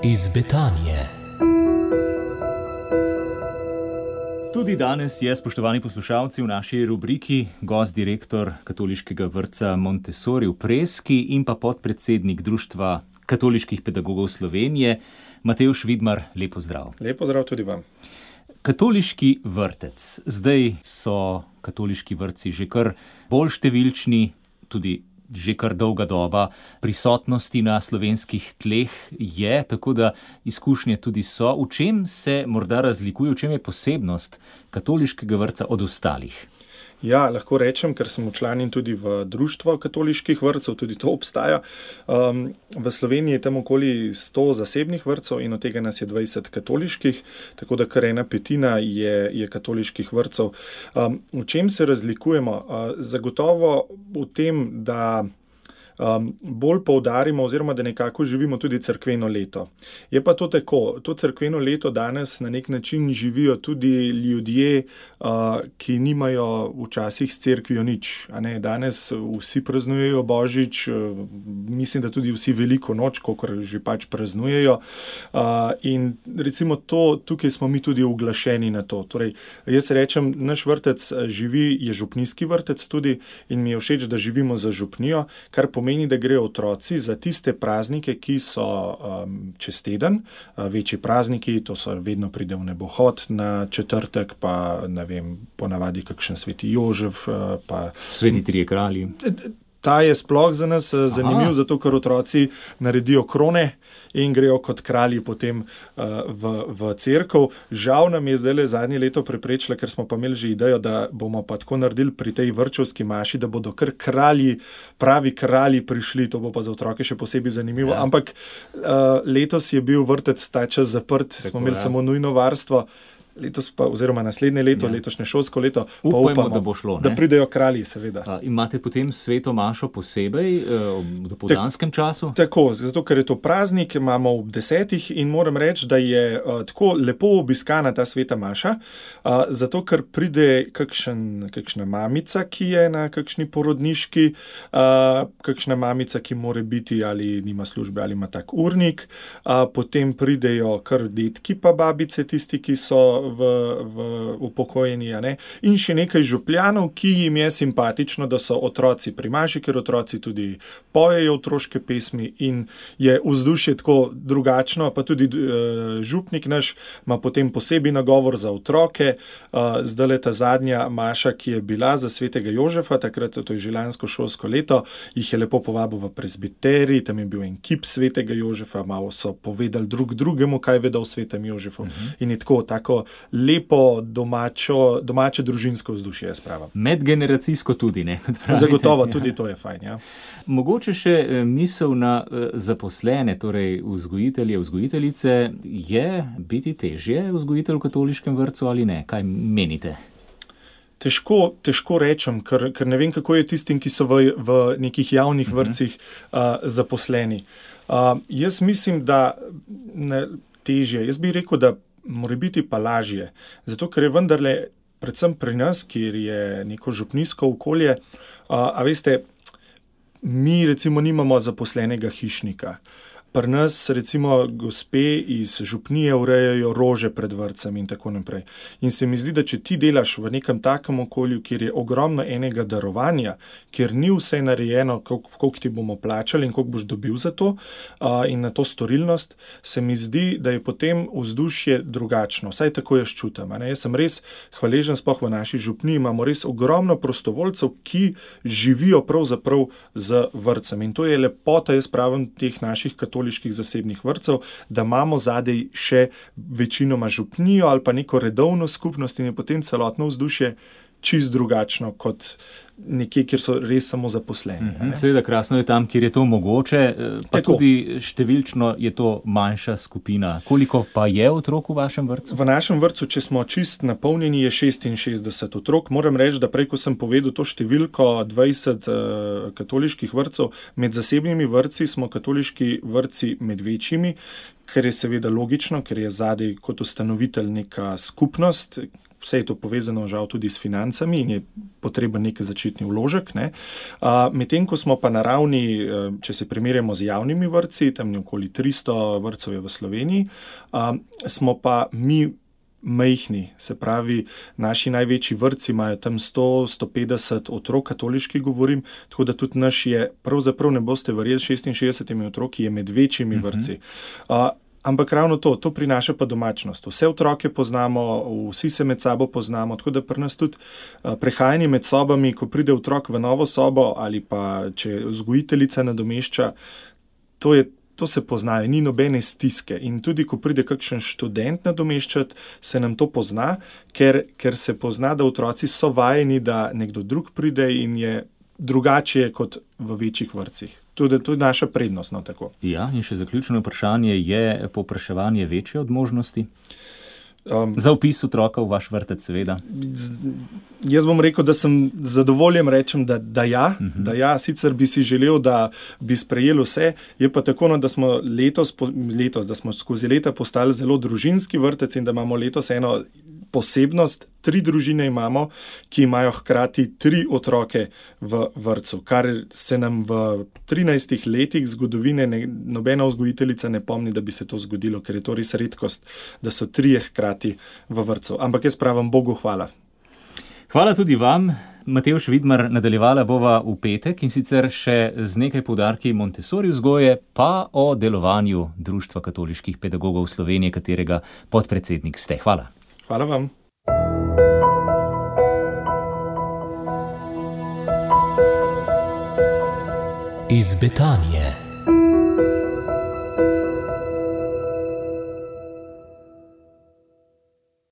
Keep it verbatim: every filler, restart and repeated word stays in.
iz Betanije. Tudi danes je, spoštovani poslušalci, v naši rubriki gost direktor katoliškega vrtca Montessori v Preski in pa podpredsednik Društva katoliških pedagogov Slovenije, Matevž Vidmar. Lep pozdrav. Lep pozdrav tudi vam. Katoliški vrtec. Zdaj so katoliški vrtci že kar bolj številčni, tudi že kar dolga doba prisotnosti na slovenskih tleh je, tako da izkušnje tudi so. V čem se morda razlikuje, v čem je posebnost katoliškega vrtca od ostalih? Ja, lahko rečem, ker sem včlanjen tudi v Društvo katoliških vrtcev, tudi to obstaja. Um, v Sloveniji je tam okoli sto zasebnih vrtcev in od tega nas je dvajset katoliških, tako da kar ena petina je, je katoliških vrtcev. Um, v čem se razlikujemo? Uh, zagotovo v tem, da Um, bolj poudarimo oziroma da nekako živimo tudi cerkveno leto. Je pa to tako, to cerkveno leto danes na nek način živijo tudi ljudje, uh, ki nimajo včasih s cerkvijo nič. A ne? Danes vsi praznujejo Božič, uh, mislim, da tudi vsi veliko noč, kakor že pač praznujejo. Uh, in recimo to, tukaj smo mi tudi uglašeni na to. Torej, jaz rečem, naš vrtec živi, je župnijski vrtec tudi in mi je všeč, da živimo za župnijo, kar pomeni, Pomeni, da grejo otroci za tiste praznike, ki so um, čez teden, uh, večji prazniki, to so vedno pride v nebohod na četrtek, pa ne vem, ponavadi kakšen sveti Jožef, uh, pa Sveti trije kralji. Ta je sploh za nas zanimiv, Aha. zato ker otroci naredijo krone in grejo kot kralji potem uh, v, v cerkev. Žal nam je zdaj zadnje leto preprečila, ker smo pa imeli že idejo, da bomo pa tako naredili pri tej vrtčevski maši, da bodo kar kralji, pravi kralji prišli, to bo pa za otroke še posebej zanimivo. Ja. Ampak uh, letos je bil vrtec ta čas zaprt, tako, smo imeli ja. samo nujno varstvo. Letos pa, oziroma naslednje leto, ja. letošnje šolsko leto, Upajmo, pa upamo, da bo šlo, da pridejo kralji, seveda. A, imate potem sveto mašo posebej v dopoldanskem času? Tako, zato ker je to praznik, imamo ob desetih in moram reči, da je uh, tako lepo obiskana ta sveta maša, uh, zato ker pride kakšen, kakšna mamica, ki je na kakšni porodniški, uh, kakšna mamica, ki more biti ali nima službe ali ima tak urnik, uh, potem pridejo kar detki pa babice, tisti, ki so v, v upokojeni, ne? In še nekaj župljanov, ki jim je simpatično, da so otroci pri maši, ker otroci tudi pojejo otroške pesmi in je vzdušje tako drugačno, pa tudi uh, župnik naš ima potem posebej nagovor za otroke. Uh, zdaj ta zadnja maša, ki je bila za svetega Jožefa, takrat to je že lansko šolsko leto, jih je lepo povabil v prezbiterij, tam je bil en kip svetega Jožefa, malo so povedali drug drugemu, kaj vedo o svetem Jožefu. Uh-huh. In je tako, tako lepo domačo, domače družinsko vzdušje, jaz pravim. Medgeneracijsko tudi, ne? Zagotovo, tudi to je fajn, ja. Mogoče še misel na zaposlene, torej vzgojitelje, vzgojiteljice, je biti težje vzgojitelj v katoliškem vrtcu ali ne? Kaj menite? Težko, težko rečem, ker, ker ne vem, kako je tistim, ki so v, v nekih javnih vrtcih uh, zaposleni. Uh, jaz mislim, da ne, težje. Jaz bi rekel, da mora biti pa lažje. Zato, ker je vendarle, predvsem pri nas, kjer je neko župnijsko okolje, a, a veste, mi recimo nimamo zaposlenega hišnika. Pri nas recimo gospe iz župnije urejajo rože pred vrtcem in tako naprej. In se mi zdi, da če ti delaš v nekem takem okolju, kjer je ogromno enega darovanja, kjer ni vse narejeno, koliko ti bomo plačali in koliko boš dobil za to uh, in na to storilnost, se mi zdi, da je potem vzdušje drugačno. Vsaj tako jaz čutim. Jaz sem res hvaležen, sploh v naši župniji imamo res ogromno prostovoljcev, ki živijo pravzaprav z vrtcem. In to je lepota, jaz pravim, teh naših katoliških zasebnih vrtcev, da imamo zadej še večinoma župnijo ali pa neko redovno skupnost in je potem celotno vzdušje čist drugačno kot nekje, kjer so res samo zaposleni. Mm-hmm. Seveda krasno je tam, kjer je to mogoče, pa Tako. tudi številčno je to manjša skupina. Koliko pa je otrok v vašem vrtcu? V našem vrtcu, če smo čist napolnjeni, je šestinšestdeset otrok. Moram reči, da prej, ko sem povedal to številko dvajset uh, katoliških vrtcev, med zasebnimi vrtci smo katoliški vrtci med večjimi, ker je seveda logično, ker je zadej kot ustanovitelj neka skupnost, vse je to povezano žal tudi s financami in je potreben nek začetni vložek. Ne. Uh, medtem, ko smo pa na ravni, če se primerjamo z javnimi vrtci, tam okoli tristo vrtcev je v Sloveniji, uh, smo pa mi majhni, se pravi, naši največji vrtci imajo tam sto do sto petdeset otrok, katoliški govorim, tako da tudi naš je, pravzaprav ne boste verjeli, šestinšestdesetimi otroki je med večjimi uh-huh. vrtci. Uh, ampak ravno to, to prinaša pa domačnost. Vse otroke poznamo, vsi se med sabo poznamo, tako da pri nas tudi uh, prehajanje med sobami, ko pride otrok v novo sobo ali pa če vzgojiteljica nadomešča, to je To se poznajo, ni nobene stiske. In tudi, ko pride kakšen študent nadomeščati, se nam to pozna, ker, ker se pozna, da otroci so vajeni, da nekdo drug pride in je drugače kot v večjih vrtcih. Tudi to je naša prednost. No, tako. Ja, in še zaključno vprašanje, je povpraševanje večje od možnosti? Um, Za vpis otroka v vaš vrtec, seveda. Z, jaz bom rekel, da sem zadovoljen, rečem, da, da ja, uh-huh. da ja, sicer bi si želel, da bi sprejeli vse, je pa tako, no, da smo letos, letos, da smo skozi leta postali zelo družinski vrtec in da imamo letos eno posebnost, tri družine imamo, ki imajo hkrati tri otroke v vrtcu, kar se nam v trinajstih letih zgodovine ne, nobena vzgojiteljica ne pomni, da bi se to zgodilo, ker je to res redkost, da so trije hkrati v vrtcu. Ampak jaz pravim Bogu hvala. Hvala tudi vam. Matevž Vidmar, nadaljevala bova v petek in sicer še z nekaj poudarki Montessori vzgoje, pa o delovanju Društva katoliških pedagogov Slovenije, katerega podpredsednik ste. Hvala. Hvala vam. Iz Betanije.